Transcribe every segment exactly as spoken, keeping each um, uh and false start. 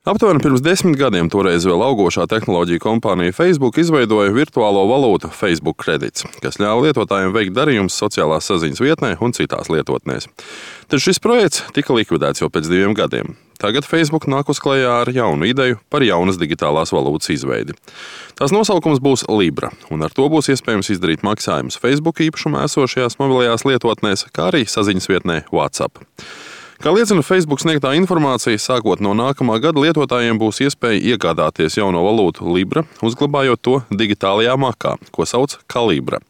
Aptuveni pirms desmit gadiem toreiz vēl augošā tehnoloģiju kompānija Facebook izveidoja virtuālo valūtu Facebook Credits, kas ļāva lietotājiem veikt darījumus sociālās saziņas vietnē un citās lietotnēs. Taču šis projekts tika likvidēts jau pēc diviem gadiem. Tagad Facebook nāk uz klajā ar jaunu ideju par jaunas digitālās valūtas izveidi. Tās nosaukums būs Libra, un ar to būs iespējams izdarīt maksājumus Facebook īpašumā esošajās mobilajās lietotnēs, kā arī saziņas vietnē WhatsApp. Kā liecina Facebook sniegtā informācija, sākot no nākamā gada lietotājiem būs iespēja iegādāties jauno valūtu Libra, uzglabājot to digitālajā makā, ko sauc Calibra.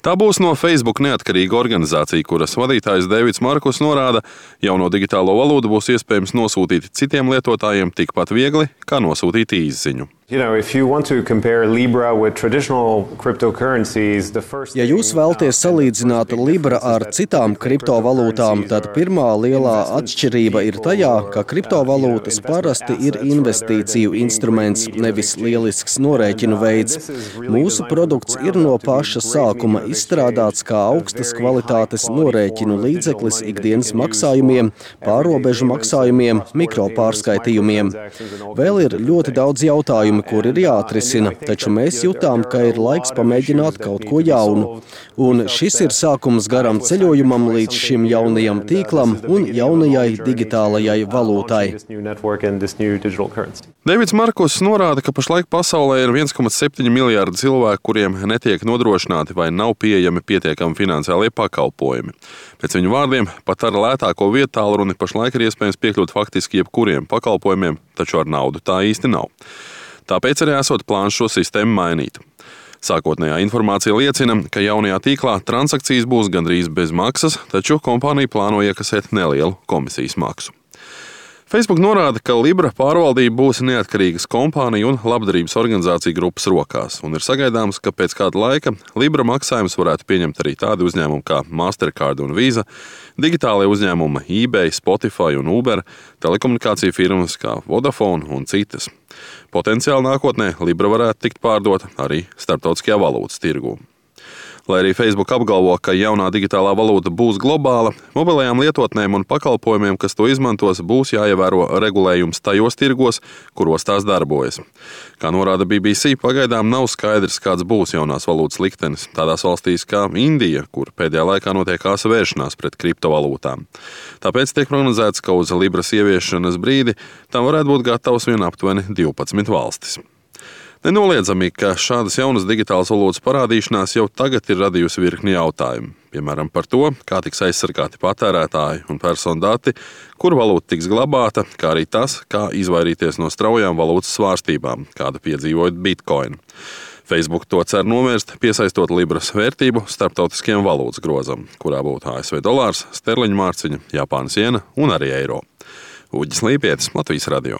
Tā būs no Facebook neatkarīga organizācija, kuras vadītājs Deivids Markus norāda, jauno digitālo valūtu būs iespējams nosūtīt citiem lietotājiem tikpat viegli, kā nosūtīt īsziņu. You know, if you want to compare Libra with traditional cryptocurrencies, the first Ja jūs vēlaties salīdzināt Libra ar citām kriptovalūtām, tad pirmā lielā atšķirība ir tajā, ka kriptovalūtas parasti ir investīciju instruments, nevis lielisks norēķinu veids. Mūsu produkts ir no paša sākuma izstrādāts kā augstas kvalitātes norēķinu līdzeklis ikdienas maksājumiem, pārrobežu maksājumiem, mikropārskaitījumiem. Vēl ir ļoti daudz jautājumu, kur ir jāatrisina, taču mēs jutām, ka ir laiks pamēģināt kaut ko jaunu. Un šis ir sākums garam ceļojumam līdz šim jaunajam tīklam un jaunajai digitālajai valūtai. Deivids Markus norāda, ka pašlaik pasaulē ir viens komats septiņi miljārdi cilvēku, kuriem netiek nodrošināti vai nav pieejami pietiekami finansiālie pakalpojumi. Pēc viņu vārdiem, pat ar lētāko vietu tālruni pašlaik ir iespējams piekļūt faktiski jebkuriem pakalpojumiem, taču ar naudu tā īsti nav. Tāpēc arī esot plāns šo sistēmu mainīt. Sākotnējā informācija liecina, ka jaunajā tīklā transakcijas būs gandrīz bez maksas, taču kompānija plāno iekasēt nelielu komisijas maksu. Facebook norāda, ka Libra pārvaldība būs neatkarīgas kompāniju un labdarības organizāciju grupas rokās, un ir sagaidāms, ka pēc kāda laika Libra maksājumus varētu pieņemt arī tādi uzņēmumi kā Mastercard un Visa, digitālie uzņēmumi eBay, Spotify un Uber, telekomunikāciju firmas kā Vodafone un citas. Potenciāli nākotnē Libra varētu tikt pārdota arī starptautiskajā valūtas tirgū. Lai arī Facebook apgalvo, ka jaunā digitālā valūta būs globāla, mobilajām lietotnēm un pakalpojumiem, kas to izmantos, būs jāievēro regulējums tajos tirgos, kuros tās darbojas. Kā norāda B B C, pagaidām nav skaidrs, kāds būs jaunās valūtas liktenis tādās valstīs kā Indija, kur pēdējā laikā notiek āsa vēršanās pret kriptovalūtām. Tāpēc tiek prognozēts, ka uz Libras ieviešanas brīdi tam varētu būt gatavs vien aptuveni divpadsmit valstis. Nenoliedzami, ka šādas jaunas digitālas valūtas parādīšanās jau tagad ir radījusi virkni jautājumu. Piemēram, par to, kā tiks aizsargāti patērētāji un personu dati, kur valūta tiks glabāta, kā arī tas, kā izvairīties no straujām valūtas svārstībām, kādu piedzīvojot Bitcoin. Facebook to cer novērst, piesaistot Libras vērtību starptautiskajam valūtas grozam, kurā būtu A S V dolārs, sterliņu mārciņa, Japānas jena un arī eiro. Uģis Līpietis, Latvijas radio.